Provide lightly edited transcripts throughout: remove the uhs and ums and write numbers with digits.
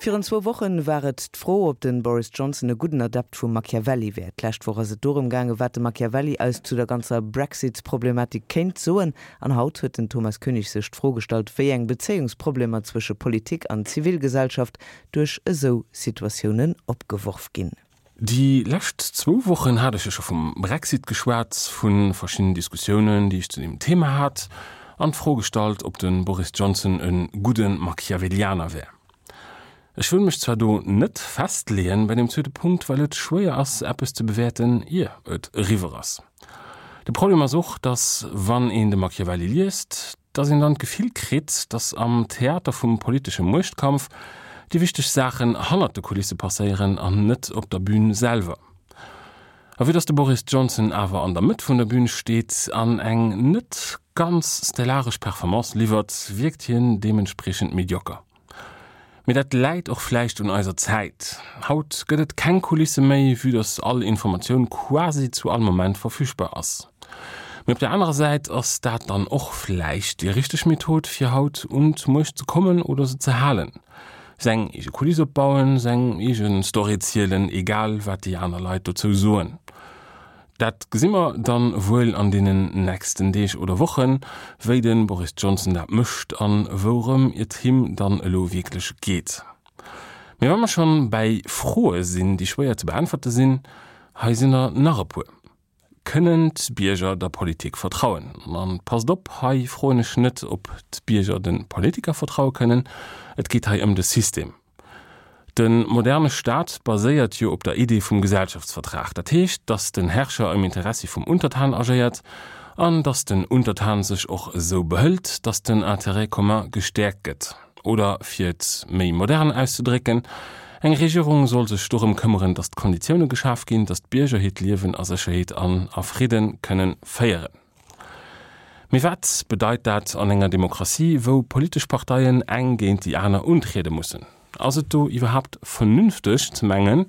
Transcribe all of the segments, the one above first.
Virun zwou Wochen war et d'Fro, ob den Boris Johnson e gudden Adept vum Machiavelli wär. D'lescht Woch ass et dorëm gaangen, wat de Machiavelli eis zu der ganzer Brexit-Problematik kéint soen. An haut huet den Thomas Koenig sech d'Fro gestallt, wéi eng Bezéiungsproblemer zwësche Politik an Zivilgesellschaft duerch esou Situatiounen opgeworf ginn. Déi lescht zwou Wochen hat ech jo scho vum Brexit geschwat, vu verschiddenen Diskussiounen, déi ech zu deem Thema hat, an d'Fro gestallt, ob de Boris Johnson e gudde Machiavellianer wär. Ech wëll mech zwar do net festleeën bei deem zweete Punkt, well et schwéier ass, eppes ze bewäerten, ier et eriwwer ass. De Problem ass och, dass, wann een de Machiavelli liest, dass een dann d'Gefill kritt, dass am Theater vum politesche Muechtkampf déi wichteg Saachen hannert de Kulisse passéieren an net op der Bühn selwer. A vue dass de Boris Johnson awer an der Mëtt vun der Bühn steet an eng net ganz stellaresch Performance liwwert, wierkt hien deementspriechend medioker. Mee dat läit och vläicht un eiser Zäit. Haut gëtt et keng Kulisse méi, vue dass all Informatioun quasi zu all Moment verfügbar ass. Mee op der anerer Säit ass dat dann och vläicht déi richteg Method, fir haut un d'Muecht ze kommen oder se ze halen. Seng eege Kuliss opbauen, seng eege Story zielen, egal wat déi aner Leit dozou soen. Dat gesi mer dann wuel an deenen nächsten Deeg oder Wochen, wéi de Boris Johnson dat mécht an wourëm et him dann elo wierklech geet. Mee wa mer schonn bäi Froe sinn, déi schwéier ze beäntwerte sinn, hei sinn der nach e puer. Kënnen d'Bierger der Politik vertrauen? An passt op, hei froen ech net, ob d'Bierger de Politiker vertraue kënnen, et geet hei ëm de System. De moderne Staat baséiert jo op der Idee vum Gesellschaftsvertrag. Dat heescht, datt den Herrscher am Interessi vum Untertan agéiert an datt den Untertan sech och esou behëlt, datt den Intérêt commun gestäerkt gëtt. Oder fir et méi modern auszedrécken, Eng Regierung soll sech dorëm këmmeren, datt d'Konditioune geschaf ginn, datt d'Bierger hiert Liewen a Sécherheet an a Fridde kënne féieren. Mee wat bedeit dat an enger Demokratie, wou politesch Parteien eng géint déi aner untriede mussen? Ass et do iwwerhaapt vernünfteg ze mengen,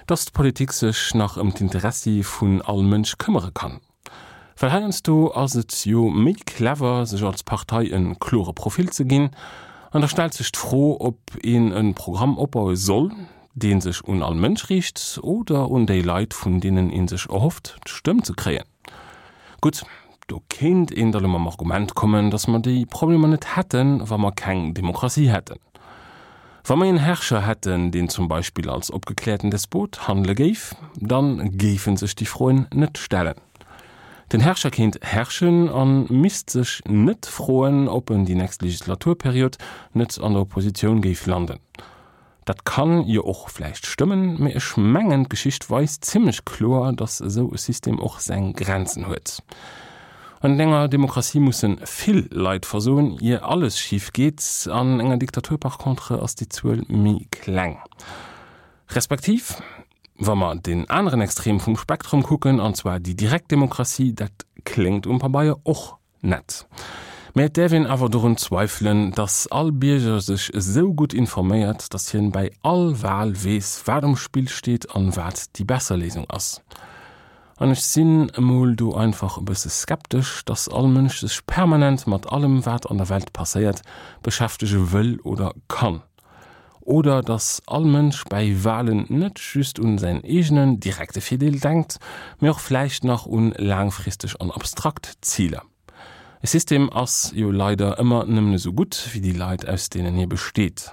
datt d'Politik sech nach ëm d'Interessi vun all Mënsch këmmere kann? Well heiansdo ass et jo méi clever, sech als Partei e klore Profil ze ginn. An da stellt sech d'Fro, ob een e Programm opbaue soll, dee sech un all Mënsch riicht oder un déi Leit, vun deenen ee sech erhofft, d'Stëmm ze kréien. Gutt, do kéint een da lo mam Argument kommen, datt mer déi Problemer net hätten, wa mer keng Demokratie hätten. Wa mer een Herrscher hätten, deen zum Beispill als opgekläerten Despot handele géif, dann géife sech déi Froen net stellen. Den Herrscher kéint herrschen an misst sech net froen, ob en déi nächst Legislaturperiod net an der Oppositioun géif landen. Dat kann jo och vläicht stëmmen, mee ech mengen d'Geschicht weist zimlech kloer, datt esou e System och seng Grenzen huet. An enger Demokratie musse vill Leit versoen, ier alles schif geet. An enger Diktatur par contre ass déi Zuel méi kleng. Respektiv, wa mer deen aneren Extrem vum Spektrum kucken, an zwar déi direkt Demokratie, dat kléngt um Pabeier och nett. Mä et däerf een awer dorun zweifelen, datt all Bierger sech esou gutt informéiert, datt hien bäi all Wal weess, wat um Spill steet an wat déi besser Léisung ass. An ech sinn emol do einfach e bësse skeptesch, dass all Mënsch sech permanent mat allem, wat an der Welt passéiert, beschäftege wëll oder kann. Oder dass all Mënsch bäi Walen net just un säin eegenen direkte Virdeel denkt, mee och vläicht nach un laangfristeg an abstrakt Ziler. E System ass jo leider ëmmer nëmmen esou gutt, wéi déi Leit, aus deenen hie besteet.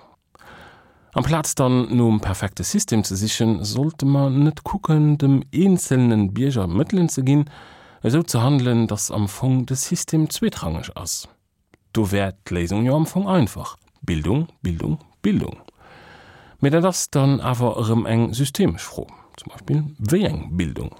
Amplaz dann nom perfekte System ze sichen, sollte mer net kucken, dem eenzelnen Bierger Mëttelen ze ginn, esou ze handelen, dass am Fong de System zweetrangeg ass? Do wär d'Léisung jo am Fong einfach, Bildung, Bildung, Bildung. Mee dat ass dann awer erëm eng systemesch Fro, zum Beispill, wéi eng Bildung?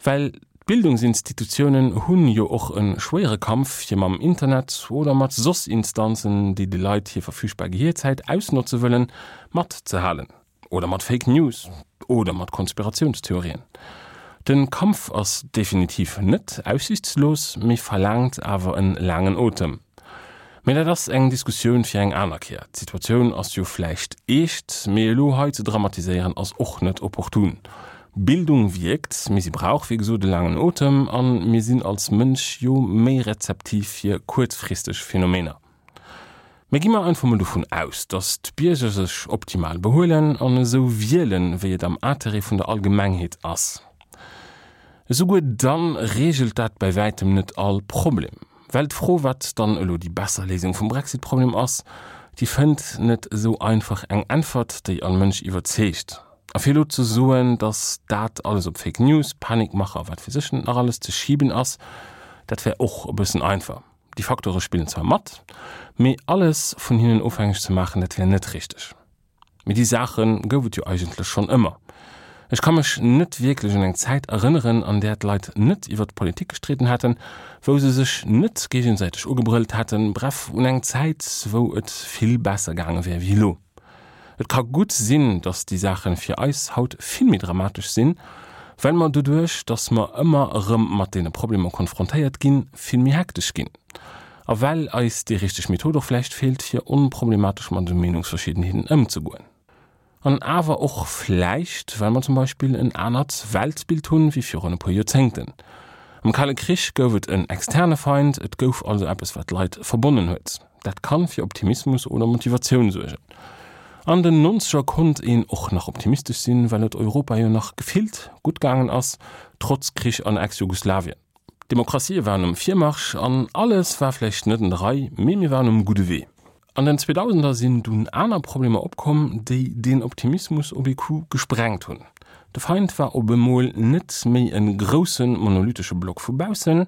Well d'Bildungsinstitutiounen hunn jo och e schwéiere Kampf fir mam Internet oder mat soss Instanzen, déi de Leit hir verfügbar Gehierzäit ausnotze wëllen, matzehalen. Oder mat Fake News oder mat Konspiratiounstheorien. De Kampf ass definitiv net aussichtslos, mee verlaangt awer en laangen Otem. Mee dat ass eng Diskussioun fir eng aner Kéier. D'Situatioun ass jo vläicht eescht, mee elo hei ze dramatiséieren ass och net opportun. Bildung wierkt, mee si brauch wéi gesot e laangen Otem a mir sinn als Mënsch jo méi rezeptiv fir kuerzfristeg Phänomener. Mee gi mer einfach mol dovun aus, datt d'Bierger sech optimal behuelen an esou wielen, wéi et am Interêt vun der Allgemengheet ass. Esouguer dann reegelt dat bäi wäitem net all Problem. Well d'Fro, wat dann elo déi besser Léisung vum Brexit-Problem ass, déi fënnt net esou einfach eng Äntwert, déi all Mënsch iwwerzeegt. A fir elo ze soen, datt dat alles op Fake News, Panikmache a wat weess ech net nach alles ze schiben ass, dat wär och e bëssen einfach. Déi Facteure spillen zwar mat, mee alles vun hinnen ofhängeg ze maachen, dat wär net richteg. Mee déi Saache gouf et jo eigentlech schonn ëmmer. Ech ka mech net wierklech un eng Zäit erënneren, an där d'Leit net iwwer d'Politik gestridden hätten, wou se sech net géigesäiteg ugebrëllt hätten, bref, un eng Zäit, wou et vill besser gaange wär wéi elo. Et ka gutt sinn, datt déi Saache fir eis haut vill méi dramatesch sinn, well mer doduerch, datt mer ëmmer erëm mat deene Problemer konfrontéiert ginn, vill méi hektesch ginn. A well eis déi richteg Method och vläicht feelt, fir onproblematesch mat esou Meenungsverschiddenheeten ëmzegoen. An awer och vläicht, well mer zum Beispill en anert Weltbild hunn, wéi virun e puer Joerzéngten. Am Kale Krich gouf et en externe Feind, et gouf also eppes, wat d'Leit verbonnen huet. Dat kann fir Optimismus oder Motivatioun suergen. An den Nonzeger konnt een och nach optimistesch sinn, well et Europa jo nach gefillt gutt gaangen ass, trotz Krich an Ex-Jugoslawien. D'Demokratië waren um Virmarsch an alles war vläicht net an der Rei, mee mir waren um gudde Wee. An den Zweedausender sinn dunn aner Problemer opkomm, déi deen Optimismus op ee Coup gesprengt hunn. De Feind war op emol net méi e grousse monolithesche Block vu baussen,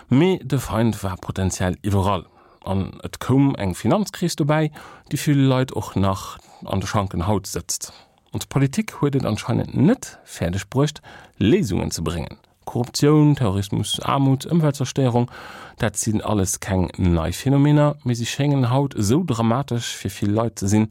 mee de Feind war potenziell iwwerall. An et koum eng Finanzkris dobäi, déi ville Leit och nach an de Schanken haut sëtzt. Ons Politik huet et anscheinend net fäerdeg bruecht, Léisungen ze bréngen. Korruptioun, Terrorismus, Aarmut, Ëmweltzerstéierung, dat sinn alles keng nei Phänomener, mee si schéngen haut esou dramatesch fir vill Leit ze sinn,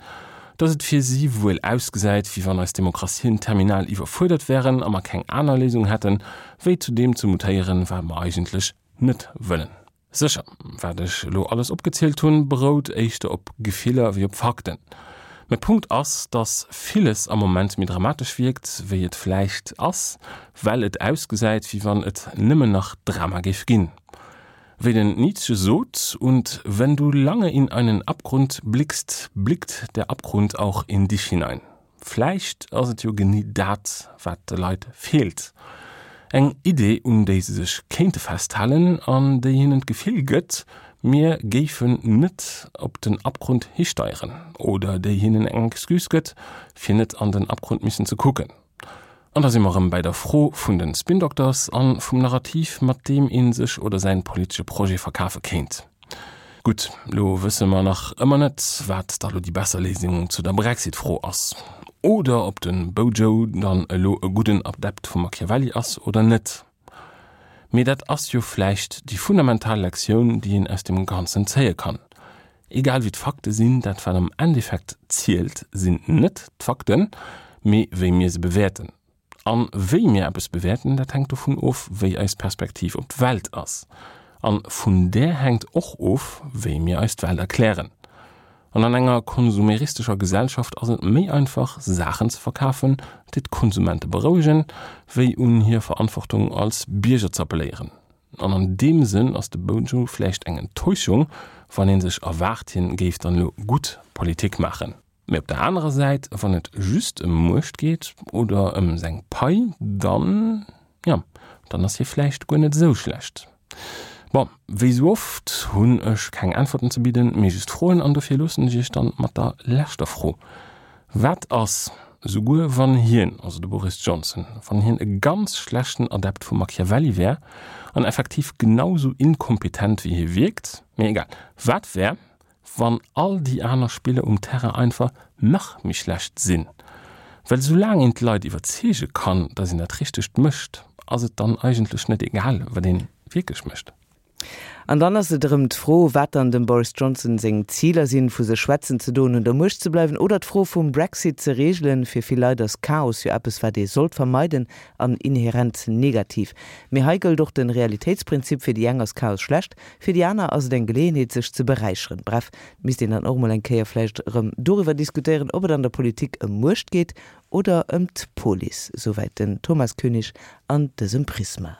datt et fir si wuel ausgesäit, wéi wann eis Demokratien terminal iwwerfuerdert wären a mer keng aner Léisung hätten, wéi zu deem ze mutéieren, wat mer eigentlech net wëllen. Sécher, wat ech elo alles opgezielt hunn, berout éischter op Gefiller wéi op Fakten. Mä Punkt ass, dass villes am Moment méi dramatesch wierkt, wéi et vläicht ass, well et ausgesäit, wéi wann et nëmmen nach Drama géif ginn. Wéi den Nietzsche sot, Und wenn du lange in einen Abgrund blickst, blickt der Abgrund auch in dich hinein. Vläicht ass et jo genee dat, wat de Leit feelt, eng Idee, un déi se sech kéinte festhalen an déi hinnen d'Gefill gëtt, mir géifen net op den Abgrund histeieren, oder déi hinnen eng Excuse gëtt, fir net an den Abgrund missen ze kucken. An da si mer erëm bäi der Fro vun de Spin-Doctors a vum Narrativ, mat deem ee sech oder säin politesche Projet verkafe kéint. Gutt, lo wësse mer nach ëmmer net, wat da lo déi besser Léisung zu der Brexit-Fro ass. Oder ob de BoJo dann elo e gudden Adept vum Machiavelli ass oder net. Mee dat ass jo vläicht déi fundamental Lektioun, déi een aus deem Ganzen zéie kann. Egal wéi d'Fakte sinn, dat wat am Endeffekt zielt, sinn net d'Fakten, mee wéi mir se bewäerten. An wéi mir eppes bewäerten, dat hänkt dovun of, wéi eis Perspektiv op d'Welt ass. An vun där hänkt och of, wéi mir eis d'Welt erklären. An an enger konsumeristescher Gesellschaft ass et méi einfach, Saachen ze verkafen, déi d'Konsumente berouegen, wéi un hir Verantwortung als Bierger z'appelléieren. An an deem Sënn ass de Bojo vläicht eng Enttäuschung, wann ee sech erwaart, hien géif dann elo gutt Politik maachen. Mee op der anerer Säit, wann et just ëm Muecht geet oder ëm seng Pai, dann, jo, dann ass hie vläicht guer net esou schlecht. Bon, wéi esou oft hunn ech keng Äntwerten ze bidden, mee just Froen an dofir loossen ech iech dann mat der leschter Fro, Wat ass, esouguer wann hien, also de Boris Johnson, wann hien e ganz schlechten Adept vum Machiavelli wär an effektiv genau esou inkompetent wéi hie wierkt, mee egal, wat wär, wann all déi aner Spiller um Terrain einfach nach méi schlecht sinn. Well soulaang een d'Leit iwwerzeege kann, datt een dat Richtegt mécht, ass et dann eigentlech net egal, wat een wierklech mécht. An dann ass et erëm d'Fro, wat dann dem Boris Johnson seng Ziler sinn, vu sech schwätzen ze doen, un der Muecht ze bleiwen oder d'Fro vum Brexit ze reegelen. Fir vill Leit ass Chaos jo eppes, wat ee sollt vermeiden an inherent negativ. Mee hei gëllt och de Realitéitsprinzip, fir déi eng ass Chaos schlecht, Fir déi aner ass et eng Geleeënheet, sech ze beräicheren. Bref, et misst een dann och emol eng Kéier vläicht erëm doriwwer diskutéieren, ob et an der Politik ëm Muecht geet oder ëm d'Police. Souwäit den Thomas Koenig an dësem Prisma.